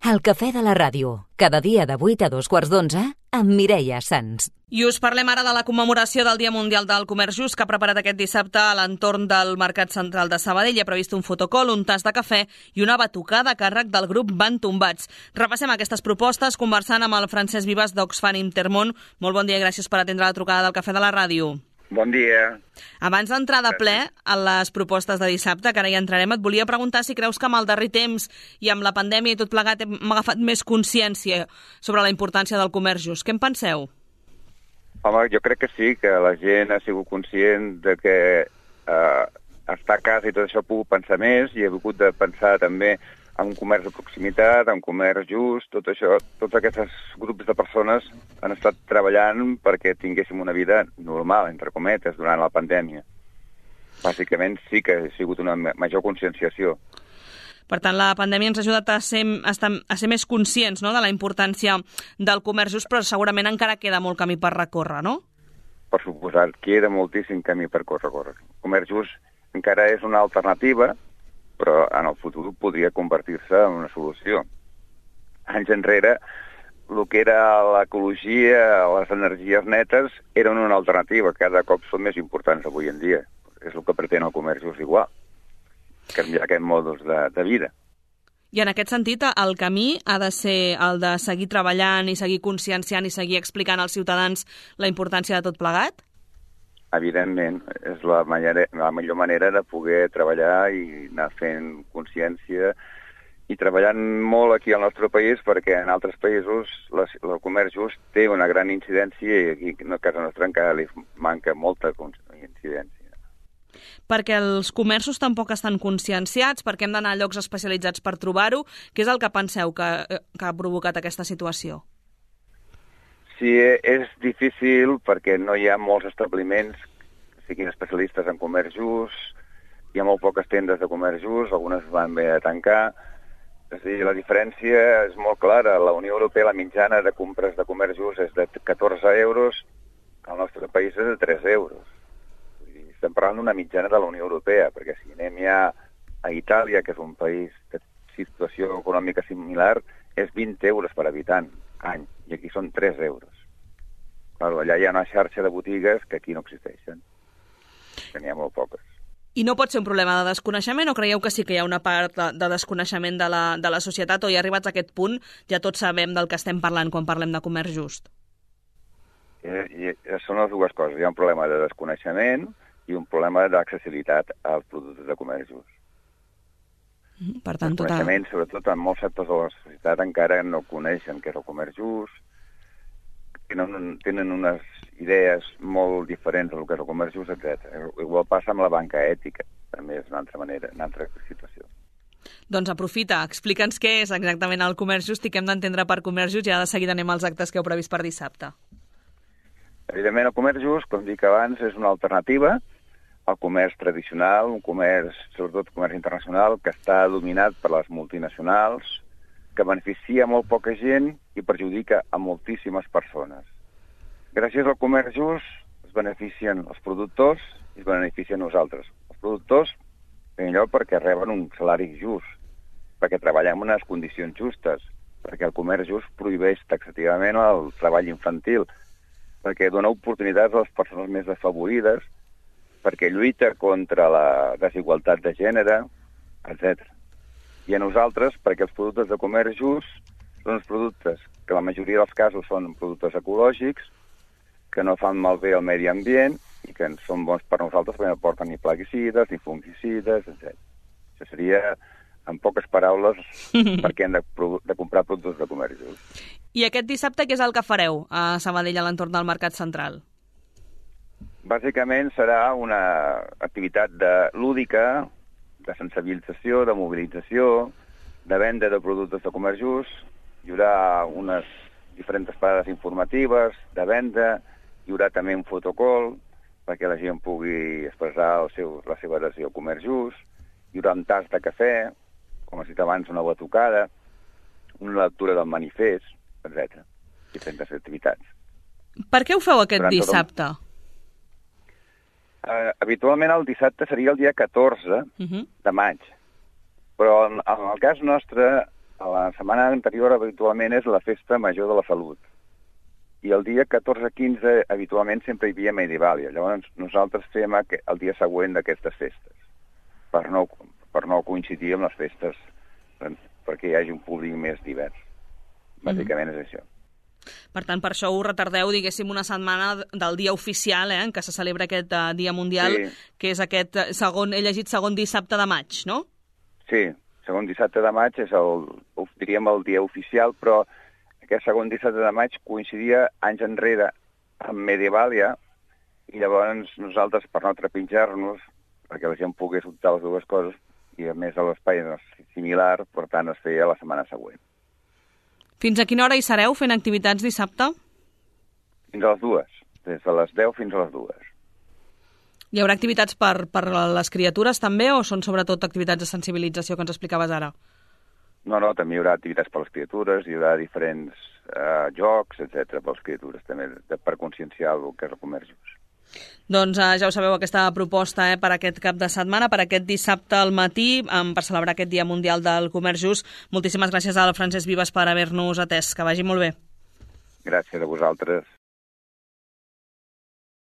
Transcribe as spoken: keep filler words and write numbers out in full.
El cafè de la ràdio, cada dia de vuit a dos quarts d'onze, amb Mireia Sans. I us parlem ara de la commemoració del Dia Mundial del Comerç Just que ha preparat aquest dissabte a l'entorn del Mercat Central de Sabadell. Hi ha previst un fotocol, un tas de cafè i una batucada a càrrec del grup Van Tombats. Repassem aquestes propostes conversant amb el Francesc Vives d'Oxfam Intermón. Molt bon dia i gràcies per atendre la trucada del cafè de la ràdio. Bon dia. Abans d'entrar de ple a les propostes de dissabte, que ara hi entrarem, et volia preguntar si creus que amb el darrer temps i amb la pandèmia i tot plegat hem agafat més consciència sobre la importància del comerç just. Què en penseu? Home, jo crec que sí, que la gent ha sigut conscient de que eh, estar a casa i tot això ha pogut pensar més i ha hagut de pensar també en un comerç de proximitat, en un comerç just, tot això, tots aquests grups de persones han estat treballant perquè tinguéssim una vida normal, entre cometes, durant la pandèmia. Bàsicament sí que ha sigut una major conscienciació. Per tant, la pandèmia ens ha ajudat a ser, a estar, a ser més conscients, no?, de la importància del comerç just, però segurament encara queda molt camí per recórrer, no? Per suposat, queda moltíssim camí per recórrer. El comerç just encara és una alternativa, però en el futur podria convertir-se en una solució. Anys enrere, el que era l'ecologia, les energies netes, eren una alternativa. Cada cop són més importants avui en dia. És el que pretén el comerç just igual. Canviar aquest modus de, de vida. I en aquest sentit, el camí ha de ser el de seguir treballant i seguir conscienciant i seguir explicant als ciutadans la importància de tot plegat? Evidentment, és la, manera, la millor manera de poder treballar i anar fent consciència i treballant molt aquí al nostre país perquè en altres països la, el comerç just té una gran incidència i aquí a casa nostra encara li manca molta incidència. Perquè els comerços tampoc estan conscienciats, perquè hem d'anar a llocs especialitzats per trobar-ho. Què és el que penseu que, que ha provocat aquesta situació? Sí, és difícil perquè no hi ha molts establiments que siguin especialistes en comerç just, hi ha molt poques tendes de comerç just, algunes van bé a tancar. És a dir, la diferència és molt clara. La Unió Europea, la mitjana de compres de comerç just és de catorze euros, al nostre país és de tres euros. Estem parlant d'una mitjana de la Unió Europea, perquè si anem ja a Itàlia, que és un país de situació econòmica similar, és vint euros per habitant any, i aquí són tres euros. Claro, allà hi ha una xarxa de botigues que aquí no existeixen, que n'hi ha molt poques. I no pot ser un problema de desconeixement o creieu que sí que hi ha una part de, de desconeixement de la, de la societat o ja arribats a aquest punt ja tots sabem del que estem parlant quan parlem de comerç just? I, i són les dues coses. Hi ha un problema de desconeixement i un problema d'accessibilitat als productes de comerç just. Per tant, el coneixement, tota... sobretot en molts sectors de la societat, encara no coneixen què és el comerç just, tenen, tenen unes idees molt diferents del que és el comerç just, etcètera. Igual passa amb la banca ètica, també és una altra manera, una altra situació. Doncs aprofita, explica'ns què és exactament el comerç just i què hem d'entendre per comerç just i ara de seguida anem als actes que heu previst per dissabte. Evidentment, el comerç just, com dic abans, és una alternativa el comerç tradicional, un comerç, sobretot comerç internacional, que està dominat per les multinacionals, que beneficia molt poca gent i perjudica a moltíssimes persones. Gràcies al comerç just es beneficien els productors i es beneficien nosaltres. Els productors, en primer lloc, perquè reben un salari just, perquè treballem en unes condicions justes, perquè el comerç just prohibeix taxativament el treball infantil, perquè dona oportunitats a les persones més desfavorides, perquè lluita contra la desigualtat de gènere, etcètera. I a nosaltres, perquè els productes de comerç just són els productes que la majoria dels casos són productes ecològics, que no fan malbé al medi ambient i que són bons per nosaltres perquè no porten ni plaguicides, ni fungicides, etcètera. Això seria, en poques paraules, perquè hem de, de comprar productes de comerç just. I aquest dissabte què és el que fareu a Sabadell a l'entorn del Mercat Central? Bàsicament serà una activitat de lúdica, de sensibilització, de mobilització, de venda de productes de comerç just. Hi haurà unes diferents parades informatives de venda, hi haurà també un fotocol perquè la gent pugui expressar el seu, la seva adhesió al comerç just, hi haurà un tas de cafè, com has dit abans, una batucada, una lectura del manifest, etcètera. Diferents activitats. Per què ho feu aquest Durant dissabte? Tot... Uh, habitualment el dissabte seria el dia catorze uh-huh. de maig, però en, en el cas nostre A la setmana anterior habitualment és la festa major de la salut. I el dia catorze quinze habitualment sempre hi havia Medievalia. Llavors nosaltres fem el dia següent d'aquestes festes, per no, per no coincidir amb les festes, perquè hi hagi un públic més divers. Bàsicament és això. Per tant, per això ho retardeu, diguéssim, una setmana del dia oficial, eh, en què se celebra aquest uh, Dia Mundial, sí. Que és aquest segon, he llegit segon dissabte de maig, no? Sí, segon dissabte de maig és el, diríem, el dia oficial, però aquest segon dissabte de maig coincidia anys enrere amb Medievalia, i llavors nosaltres, per no trepitjar-nos, perquè la gent pogués optar les dues coses, i a més l'espai és similar, per tant es feia la setmana següent. Fins a quina hora hi sereu fent activitats dissabte? Fins a les dues, des de les deu fins a les dues. Hi haurà activitats per, per les criatures també, o són sobretot activitats de sensibilització que ens explicaves ara? No, no, també hi haurà activitats per les criatures, hi haurà diferents eh, jocs, etcètera, per les criatures, també de, per conscienciar el que és el comerç just. Doncs eh, ja ho sabeu, aquesta proposta eh, per aquest cap de setmana, per aquest dissabte al matí, eh, per celebrar aquest Dia Mundial del Comerç Just. Moltíssimes gràcies al Francesc Vives per haver-nos atès. Que vagi molt bé. Gràcies a vosaltres.